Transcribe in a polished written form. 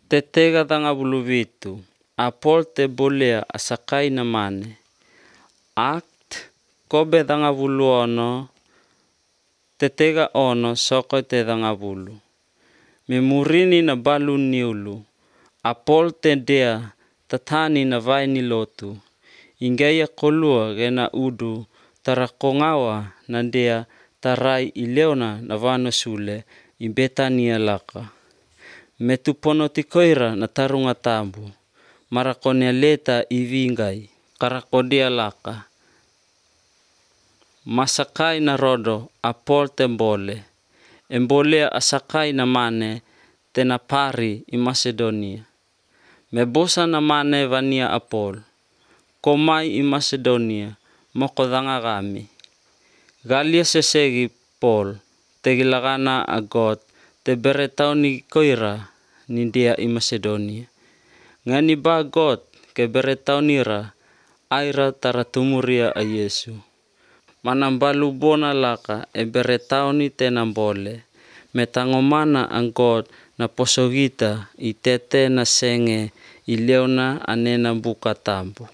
Tetega tanga buluvitu. Apol te bolea asakai na mane. Act kobe tanga bulu ono. Tetega ono soko te tanga bulu. Memurini na balu niulu. Apol te dea tatani na vai ni lotu. Ingaya kolua gena udu tarakongawa na dea tarai ileona na vano sule i Betania laka. Metupono tikoira na tarunga tambu. Marakonia leta i vingai. Karakodia laka. Masakai na rodo apol tembole. Embolea asakai na mane tena pari i Macedonia. Mebosa na mane vania apol. Komai i Macedonia moko dangagami. Galia sesegi Paul tegilagana a God te beretau ni koira ni dia i Macedonia. Ngani ba God ke beretau nira aira taratumuria a Yesu. Manambalu bona laka e beretau ni tenambole. Metangomana ang God na posogita i tete na senge i leona anena buka tambu.